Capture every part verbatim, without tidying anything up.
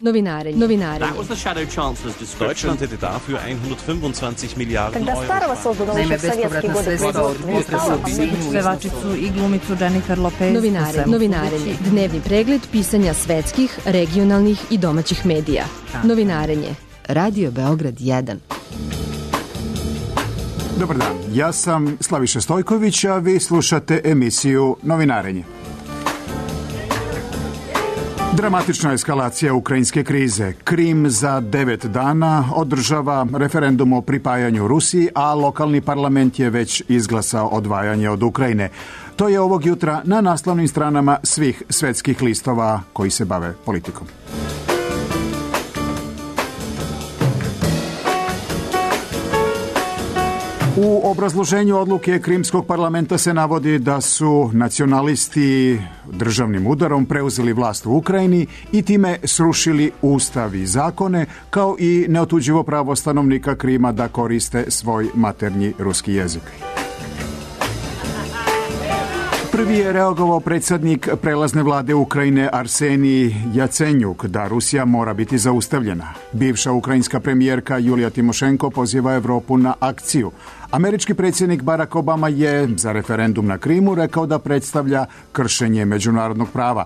Novinarenje. Novinarenje. That was the Shadow Chancellor's description. Deutschland hätte dafür hundertfünfundzwanzig Miliarden Когда Euro. Старого создано еще в советские годы производство. Pevačicu i glumicu Jennifer Lopez. Novinarenje. Novinarenje. Dnevni pregled pisanja svetskih, regionalnih i domaćih medija. Novinarenje. Radio Beograd jedan. Dobar dan, ja sam Slaviša Stojković, a vi slušate emisiju Novinarenje. Dramatična eskalacija ukrajinske krize. Krim za devet dana održava referendum o pripajanju Rusiji, a lokalni parlament je već izglasao odvajanje od Ukrajine. To je ovog jutra na naslovnim stranama svih svetskih listova koji se bave politikom. U obrazloženju odluke Krimskog parlamenta se navodi da su nacionalisti državnim udarom preuzeli vlast u Ukrajini i time srušili ustav i zakone, kao i neotuđivo pravo stanovnika Krima da koriste svoj maternji ruski jezik. Prvi je reagovao predsjednik prelazne vlade Ukrajine Arsenij Jacenjuk da Rusija mora biti zaustavljena. Bivša ukrajinska premijerka Julija Timošenko poziva Evropu na akciju. Američki predsjednik Barack Obama je za referendum na Krimu rekao da predstavlja kršenje međunarodnog prava.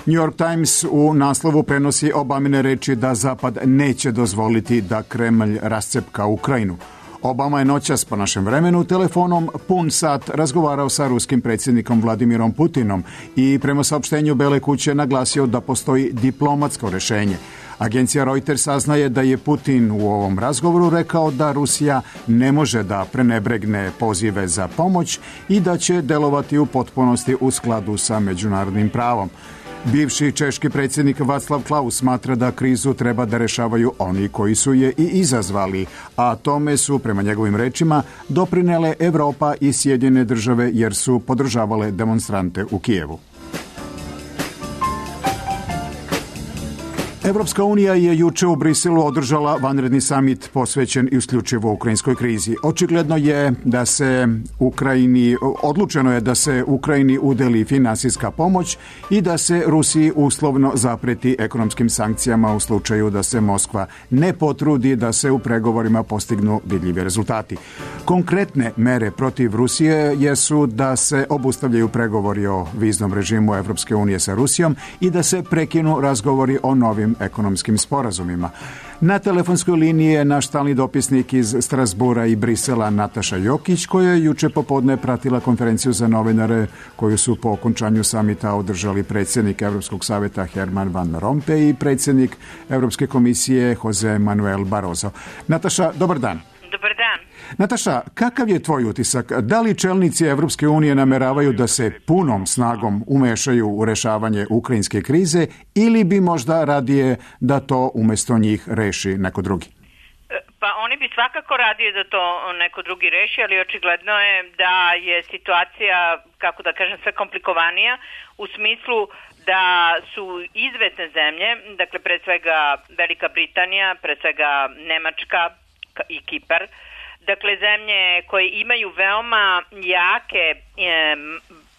New York Times u naslovu prenosi Obamine reči da Zapad neće dozvoliti da Kremlj rascepka Ukrajinu. Obama je noćas po našem vremenu telefonom pun sat razgovarao sa ruskim predsjednikom Vladimirom Putinom i prema saopštenju Bele kuće naglasio da postoji diplomatsko rješenje. Agencija Reuters saznaje da je Putin u ovom razgovoru rekao da Rusija ne može da prenebregne pozive za pomoć i da će delovati u potpunosti u skladu sa međunarodnim pravom. Bivši češki predsjednik Václav Klaus smatra da krizu treba da rešavaju oni koji su je i izazvali, a tome su, prema njegovim rečima, doprinele Evropa i Sjedinjene države jer su podržavale demonstrante u Kijevu. Evropska unija je juče u Briselu održala vanredni samit posvećen isključivo ukrajinskoj krizi. Očigledno je da se Ukrajini, odlučeno je da se Ukrajini udeli finansijska pomoć i da se Rusiji uslovno zapreti ekonomskim sankcijama u slučaju da se Moskva ne potrudi da se u pregovorima postignu vidljivi rezultati. Konkretne mere protiv Rusije jesu da se obustavljaju pregovori o viznom režimu Evropske unije sa Rusijom i da se prekinu razgovori o novim ekonomskim sporazumima. Na telefonskoj liniji je naš stalni dopisnik iz Strasbura i Brisela Nataša Jokić, koja je juče popodne pratila konferenciju za novinare koju su po okončanju samita održali predsjednik Evropskog savjeta Herman Van Rompuy i predsjednik Evropske komisije Jose Manuel Barroso. Nataša, dobar dan. Dobar dan. Nataša, kakav je tvoj utisak? Da li čelnici Evropske unije nameravaju da se punom snagom umešaju u rešavanje ukrajinske krize ili bi možda radije da to umjesto njih reši neko drugi? Pa oni bi svakako radije da to neko drugi reši, ali očigledno je da je situacija, kako da kažem, sve komplikovanija u smislu da su izvesne zemlje, dakle pre svega Velika Britanija, pre svega Nemačka i Kipar, dakle zemlje koje imaju veoma jake e,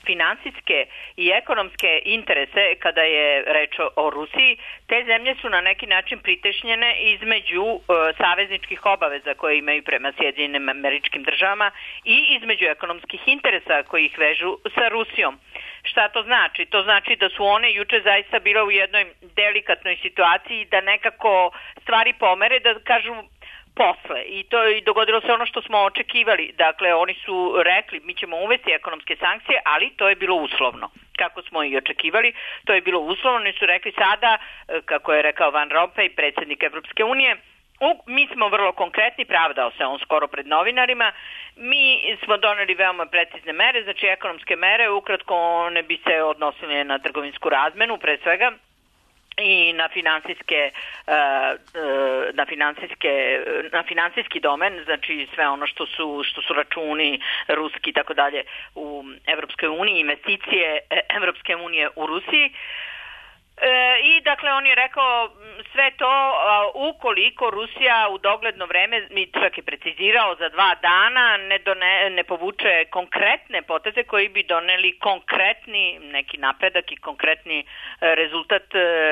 finansijske i ekonomske interese kada je reč o Rusiji, te zemlje su na neki način pritešnjene između e, savezničkih obaveza koje imaju prema Sjedinjenim Američkim Državama i između ekonomskih interesa koji ih vežu sa Rusijom. Šta to znači? To znači da su one juče zaista bile u jednoj delikatnoj situaciji da nekako stvari pomere, da kažu posle. I to i dogodilo se ono što smo očekivali. Dakle, oni su rekli mi ćemo uvesti ekonomske sankcije, ali to je bilo uslovno. Kako smo i očekivali, to je bilo uslovno. Oni su rekli sada, kako je rekao Van Rompuy, predsjednik Evropske unije, U, mi smo vrlo konkretni, pravdao se on skoro pred novinarima, mi smo doneli veoma precizne mere, znači ekonomske mere, ukratko one bi se odnosile na trgovinsku razmenu, pre svega, i na finansijske na finansijske na finansijski domen, znači sve ono što su što su računi ruski i tako dalje u Evropskoj uniji, investicije Evropske unije u Rusiji. I dakle on je rekao sve to ukoliko Rusija u dogledno vreme, mi čak je precizirao za dva dana, ne, done, ne povuče konkretne poteze koji bi doneli konkretni neki napredak i konkretni rezultat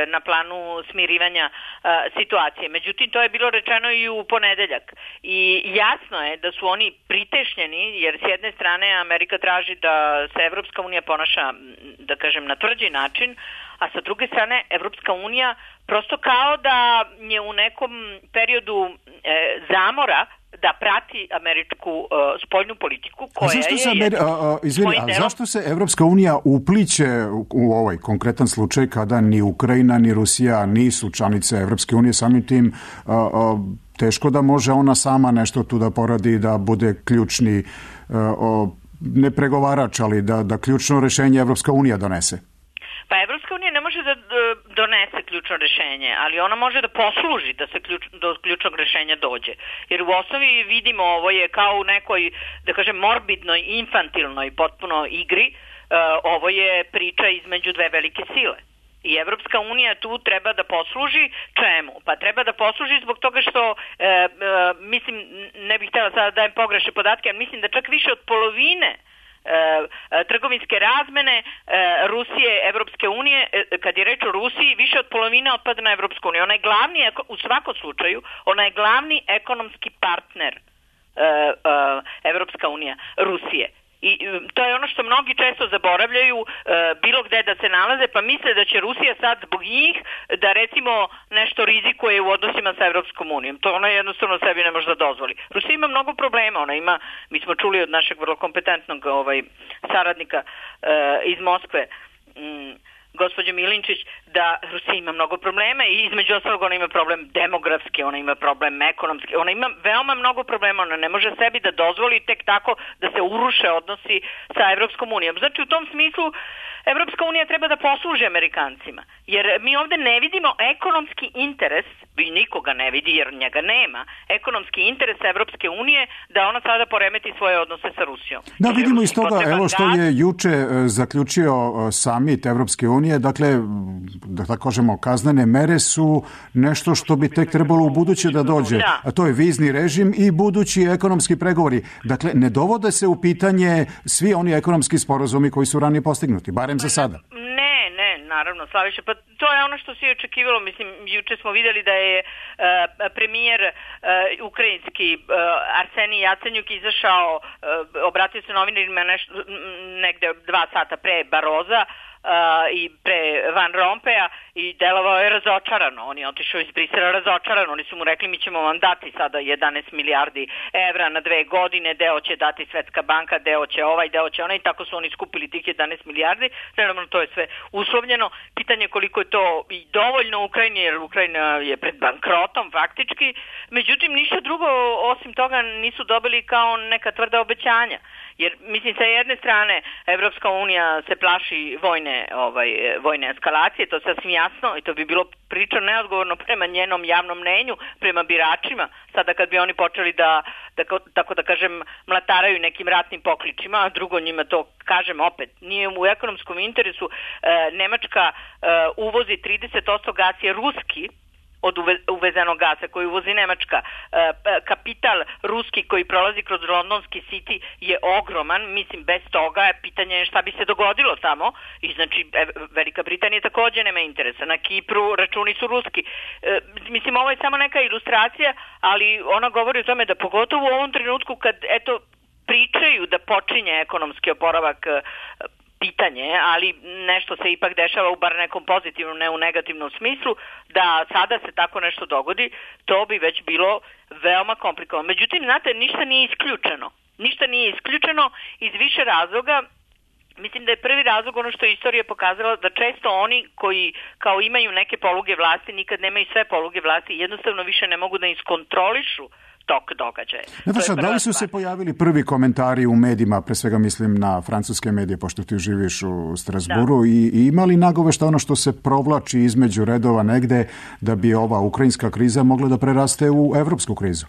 na planu smirivanja situacije. Međutim, to je bilo rečeno i u ponedeljak. I jasno je da su oni pritešnjeni, jer s jedne strane Amerika traži da se Evropska unija ponaša, da kažem, na tvrđi način, a sa druge strane Evropska unija prosto kao da je u nekom periodu e, zamora da prati američku e, spoljnu politiku koja a zašto je... Se Ameri... a, a, izvini, a zašto se Evropska unija upliće u, u ovaj konkretan slučaj kada ni Ukrajina ni Rusija nisu članice Evropske unije, samim tim a, a, teško da može ona sama nešto tu da poradi, da bude ključni a, a, ne pregovarač, ali da, da ključno rešenje Evropska unija donese? Pa Evropska unija ne može da donese ključno rešenje, ali ona može da posluži da se ključ, do ključnog rešenja dođe. Jer u osnovi vidimo ovo je kao u nekoj, da kažem, morbidnoj, infantilnoj potpuno igri, uh, ovo je priča između dve velike sile. I Evropska unija tu treba da posluži čemu? Pa treba da posluži zbog toga što, e, e, mislim, ne bih htjela sada da dajem pogrešne podatke, ali mislim da čak više od polovine E, e, trgovinske razmene e, Rusije, Evropske unije, e, kad je reč o Rusiji, više od polovine otpada na Evropsku uniju. Ona je glavni, u svakom slučaju, ona je glavni ekonomski partner e, e, Evropska unija, Rusije. I to je ono što mnogi često zaboravljaju, e, bilo gde da se nalaze, pa misle da će Rusija sad zbog njih da recimo nešto rizikuje u odnosima sa Evropskom unijom. To ona jednostavno sebi ne može da dozvoli. Rusija ima mnogo problema, ona ima, mi smo čuli od našeg vrlo kompetentnog ovaj, saradnika e, iz Moskve, m, gospođe Milinčić, da Rusija ima mnogo problema i između ostalog ona ima problem demografski, ona ima problem ekonomski, ona ima veoma mnogo problema, ona ne može sebi da dozvoli tek tako da se uruše odnosi sa Evropskom unijom. Znači u tom smislu Evropska unija treba da posluži Amerikancima, jer mi ovde ne vidimo ekonomski interes, i nikoga ne vidi jer njega nema, ekonomski interes Evropske unije da ona sada poremeti svoje odnose sa Rusijom. Da, vidimo iz toga, evo što je juče zaključio samit Evropske unije, dakle, da tako kažemo, kaznene mere su nešto što bi tek trebalo u buduće da dođe, da. A to je vizni režim i budući ekonomski pregovori. Dakle, ne dovode se u pitanje svi oni ekonomski sporazumi koji su ranije postignuti, barem za sada. Ne, ne, naravno, Slaviša, pa to je ono što se je očekivalo. Mislim, juče smo vidjeli da je uh, premijer uh, ukrajinski uh, Arsenij Jacenjuk izašao, uh, obratio se novinarima nešto, negde dva sata pre Baroza, Uh, i pre Van Rompeja i delovao je razočarano. On je otišao iz Brisela razočarano. Oni su mu rekli mi ćemo vam dati sada jedanaest milijardi evra na dve godine, deo će dati Svetska banka, deo će ovaj, deo će onaj, i tako su oni skupili tih jedanaest milijardi. Naravno, to je sve uslovljeno. Pitanje koliko je to i dovoljno Ukrajini, jer Ukrajina je pred bankrotom faktički. Međutim, ništa drugo osim toga nisu dobili kao neka tvrda obećanja. Jer, mislim, sa jedne strane Evropska unija se plaši vojne, ovaj, vojne eskalacije, to je sasvim jasno i to bi bilo priča neodgovorno prema njenom javnom mnenju, prema biračima, sada kad bi oni počeli da, da tako da kažem, mlataraju nekim ratnim pokličima, a drugo njima to, kažem opet, nije u ekonomskom interesu. E, Nemačka e, uvozi trideset posto gas je ruski, od uvezenog gasa koji uvozi Nemačka. Kapital ruski koji prolazi kroz londonski City je ogroman, mislim bez toga je pitanje šta bi se dogodilo tamo i znači Velika Britanija također nema interesa. Na Kipru računi su ruski. Mislim, ovo je samo neka ilustracija, ali ona govori o tome da pogotovo u ovom trenutku kad eto pričaju da počinje ekonomski oporavak pitanje, ali nešto se ipak dešava u bar nekom pozitivnom, ne u negativnom smislu, da sada se tako nešto dogodi, to bi već bilo veoma komplikovano. Međutim, znate, ništa nije isključeno. Ništa nije isključeno iz više razloga. Mislim da je prvi razlog ono što je istorija pokazala, da često oni koji kao imaju neke poluge vlasti, nikad nemaju sve poluge vlasti, jednostavno više ne mogu da iskontrolišu tok događaja. Nataša, da li su se pojavili prvi komentari u medijima, pre svega mislim na francuske medije, pošto ti živiš u Strasburu, i, i ima li nagovešta ono što se provlači između redova negde da bi ova ukrajinska kriza mogla da preraste u evropsku krizu?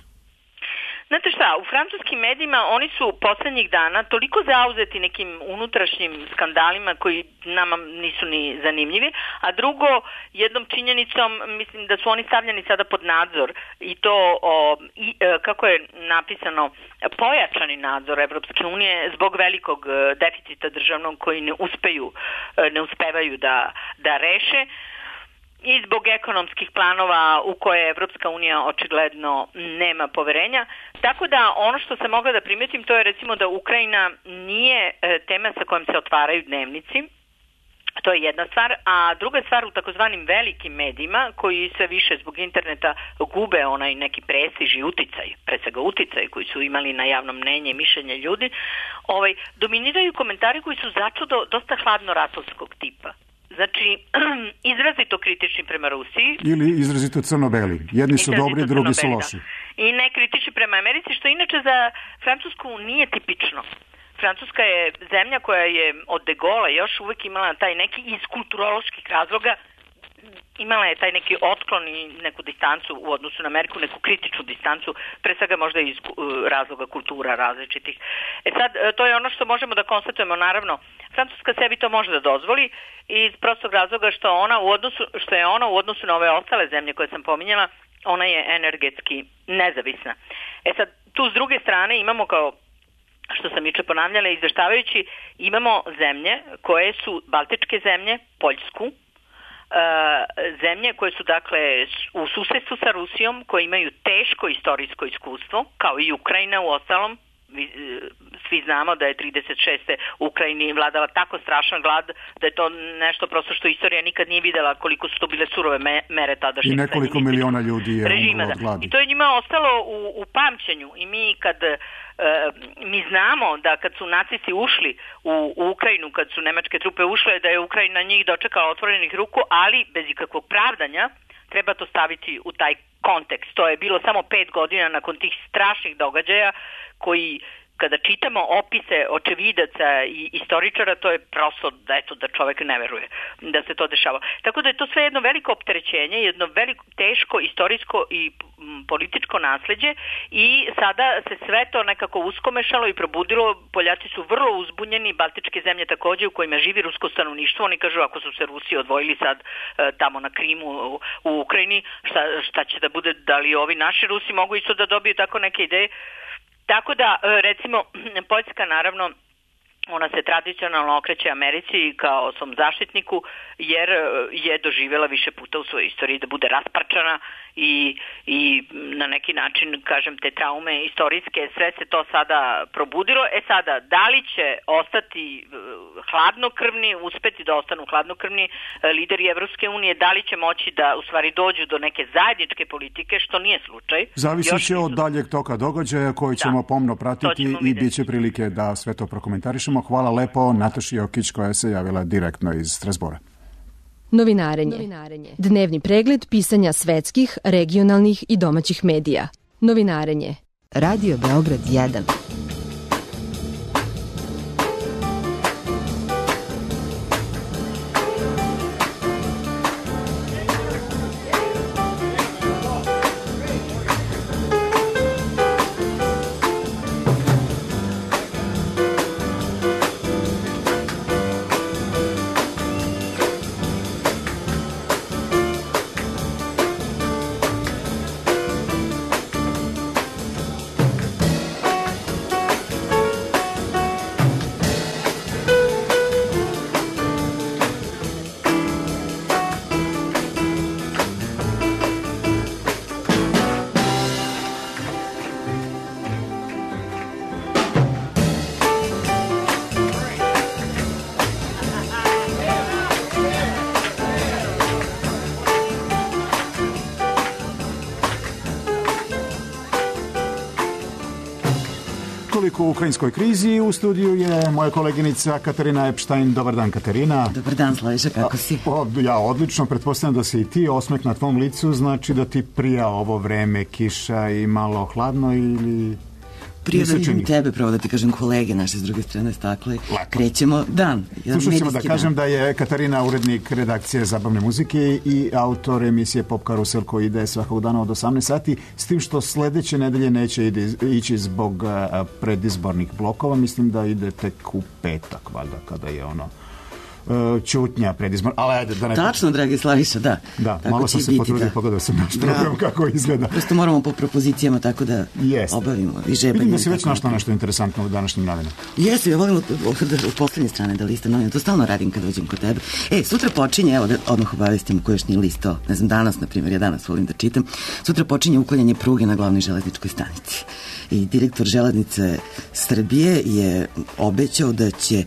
Znate šta, šta, u francuskim medijima oni su poslednjih dana toliko zauzeti nekim unutrašnjim skandalima koji nama nisu ni zanimljivi, a drugo, jednom činjenicom, mislim da su oni stavljeni sada pod nadzor i to, o, i, kako je napisano, pojačani nadzor Evropske unije zbog velikog deficita državnog koji ne uspeju, ne uspevaju da, da reše, i zbog ekonomskih planova u koje Evropska unija očigledno nema poverenja. Tako da ono što sam mogla da primetim, to je recimo da Ukrajina nije tema sa kojom se otvaraju dnevnici. To je jedna stvar, a druga stvar u takozvanim velikim medijima koji sve više zbog interneta gube onaj neki prestiž i uticaj, pre svega uticaj koji su imali na javno mnenje i mišljenje ljudi, ovaj, dominiraju komentari koji su začudo dosta hladno-ratovskog tipa. Znači, izrazito kritični prema Rusiji. Ili izrazito crno-beli. Jedni su dobri, drugi su loši. Da. I ne kritični prema Americi, što inače za Francusku nije tipično. Francuska je zemlja koja je od De Gaulle još uvek imala taj neki iz kulturoloških razloga, imala je taj neki otklon i neku distancu u odnosu na Ameriku, neku kritičnu distancu, pre svega možda iz razloga kultura različitih. E sad, to je ono što možemo da konstatujemo, naravno, Francuska sebi to može da dozvoli iz prostog razloga što ona u odnosu, što je ona u odnosu na ove ostale zemlje koje sam pominjala, ona je energetski nezavisna. E sad, tu s druge strane imamo, kao što sam juče ponavljala izveštavajući, imamo zemlje koje su baltičke zemlje, Poljsku, zemlje koje su dakle u susedstvu sa Rusijom, koje imaju teško istorijsko iskustvo, kao i Ukrajina u ostalom. Svi znamo da je trideset šeste u Ukrajini vladala tako strašan glad da je to nešto prosto što istorija nikad nije videla koliko su to bile surove mere tadašnjeg. I nekoliko miliona ljudi je umrlo od gladi. I to je njima ostalo u, u pamćenju. I mi kad e, mi znamo da kad su nacisti ušli u, u Ukrajinu, kad su nemačke trupe ušle, da je Ukrajina njih dočekala otvorenih ruku, ali bez ikakvog pravdanja. Treba to staviti u taj kontekst. To je bilo samo pet godina nakon tih strašnih događaja koji, kada čitamo opise očevidaca i istoričara, to je prosto da, eto, da čovek ne veruje da se to dešava. Tako da je to sve jedno veliko opterećenje, jedno veliko, teško istorijsko i političko nasleđe i sada se sve to nekako uskomešalo i probudilo. Poljaci su vrlo uzbunjeni, baltičke zemlje takođe u kojima živi rusko stanovništvo. Oni kažu ako su se Rusi odvojili sad e, tamo na Krimu u, u Ukrajini, šta, šta će da bude, da li ovi naši Rusi mogu isto da dobiju tako neke ideje. Tako da, recimo, Poljska naravno, ona se tradicionalno okreće Americi kao svom zaštitniku, jer je doživjela više puta u svojoj istoriji da bude rasparčana i, i na neki način, kažem, te traume istorijske, sve se to sada probudilo. E sada, da li će ostati hladnokrvni, uspeti da ostanu hladnokrvni lideri Evropske unije, da li će moći da u stvari dođu do neke zajedničke politike, što nije slučaj. Zavisit će od daljeg toka događaja koji ćemo da, pomno pratiti i bit će prilike da sve to prokomentarišemo. Hvala lepo Nataši Jokić koja se javila direktno iz Strasbora. Novinarenje. Novinarenje. Dnevni pregled pisanja svetskih, regionalnih i domaćih medija. Novinarenje. Radio Beograd jedan. U ukrajinskoj krizi u studiju je moja koleginica Katarina Epštajn. Dobar dan, Katarina. Dobar dan, Slaviša, kako si? O, ja odlično, pretpostavljam da si i ti, osmeh na tvom licu, znači da ti prija ovo vreme, kiša i malo hladno ili... Prije da vidim tebe, pravo da ti kažem kolege naše s druge strane stakle, krećemo dan. Slušat ćemo da kažem da je Katarina urednik redakcije zabavne muzike i autor emisije Pop Karusel koji ide svakog dana od osamnaest sati, s tim što sledeće nedelje neće ići zbog predizbornih blokova, mislim da ide tek u petak, valjda, kada je ono ćutnja predizbor, ali ajde da ne... Tačno, dragi Slaviša, da. Da, tako malo sam se potrudio, da. Pogledao sam naš program kako izgleda. Prosto moramo po propozicijama tako da Jest. obavimo i žebanje. Vidim da si već našla nešto interesantno u današnjim novinama. Jesu, ja volim od, od, od poslednje strane da listam novina, to stalno radim kad dođem kod tebe. E, sutra počinje, evo da odmah obavestim ko još nije listao, ne znam, danas, na primjer, ja danas volim da čitam, sutra počinje uklanjanje pruge na glavnoj železničkoj stanici. I direktor Železnice Srbije je obećao da će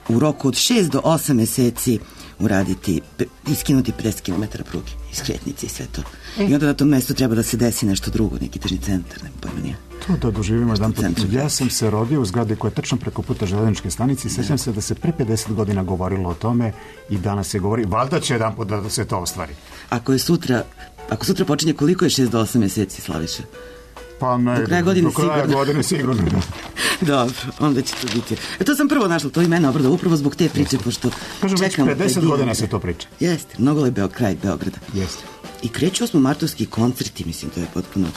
u roku od šest do osam meseci uraditi, iskinuti pedeset kilometara pruge, iskretnici i sve to. E. I onda na tom mestu treba da se desi nešto drugo, neki tržni centar, ne pojma nije. To da doživimo jedan put. Ja sam se rodio u zgradi koja je tačno preko puta železničke stanice i sećam se da se pre pedeset godina govorilo o tome i danas se govori, valjda će jedan put da se to ostvari. Ako je sutra, ako sutra počinje, koliko je šest do osam meseci, Slaviša? Pa ne, do kraja godine do kraja sigurno. godine sigurno. Dobro, onda će to biti. E, to sam prvo našla, to ime obrada, upravo zbog te priče, pošto kažem, čekam... Kažem, već pedeset godina se to priča. Jeste, mnogo je Beo, kraj Beograda. Jeste. I kreću osmomartovski koncerti, mislim, to je potpuno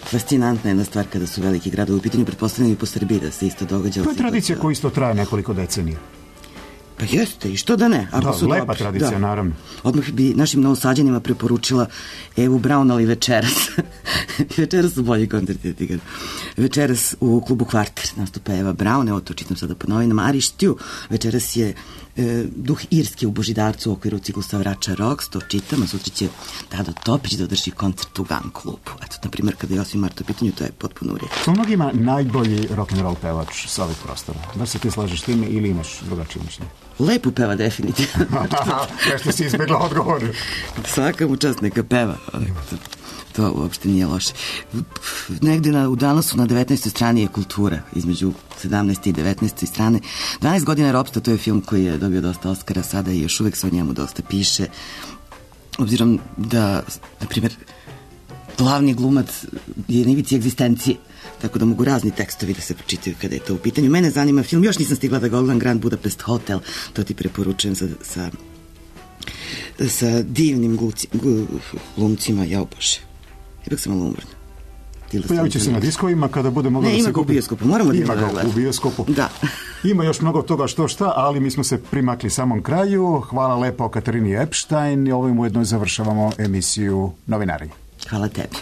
fascinantna jedna stvar kada su veliki gradovi u pitanju, pretpostavljeni i po Srbiji da se isto događa. To je tradicija koja isto traje nekoliko decenija. Pa jeste, i što da ne? Ako da, su lepa dobri. Tradicija, da. Naravno. Odmah bi našim novosađanima preporučila Evu Braun, ali večeras. Večeras su bolji koncerti. Večeras u klubu Kvarter nastupa Eva Braun, evo to čitam sada po novinama. Ari Štju, večeras je e, Duh Irske u Božidarcu u okviru ciklusa Vrača Rocks, to čitam, a sutra će Dado Topić da održi koncert u Gun klubu. Eto, na primjer, kada je osam marta u pitanju, to je potpuno u redu. To mnogima najbolji rock'n'roll pevač sa ovih prostora. Da se ti slažeš s time ili imaš drugačije mišljenje? Lepo peva, definitivno. Nešto si izbjegla odgovor. Svaka mu čast neka peva. To uopšte nije loše. Negde na, u Dalasu na devetnaestoj strani je kultura, između sedamnaeste i devetnaeste strane. dvanaest godina ropstva, to je film koji je dobio dosta Oskara sada i još uvek se o njemu dosta piše. Obzirom da, na primjer, glavni glumac je na ivici egzistencije, tako da mogu razni tekstovi da se pročitaju kada je to u pitanju. Mene zanima film, još nisam stigla da ga ogledam, Grand Budapest Hotel, to ti preporučujem sa, sa, sa divnim gluci, glumcima, jao Bože. Ipak sam malo umorna. Pojavit će se na diskovima kada bude moglo ne, da se kupi. Ne, ima ga u bioskopu, moramo da ima ga u bioskopu. Da. Ima još mnogo toga što šta, ali mi smo se primakli samom kraju. Hvala lepo Katarini Epstein i ovim ujedno završavamo emisiju Novinarenje. Hvala tebi.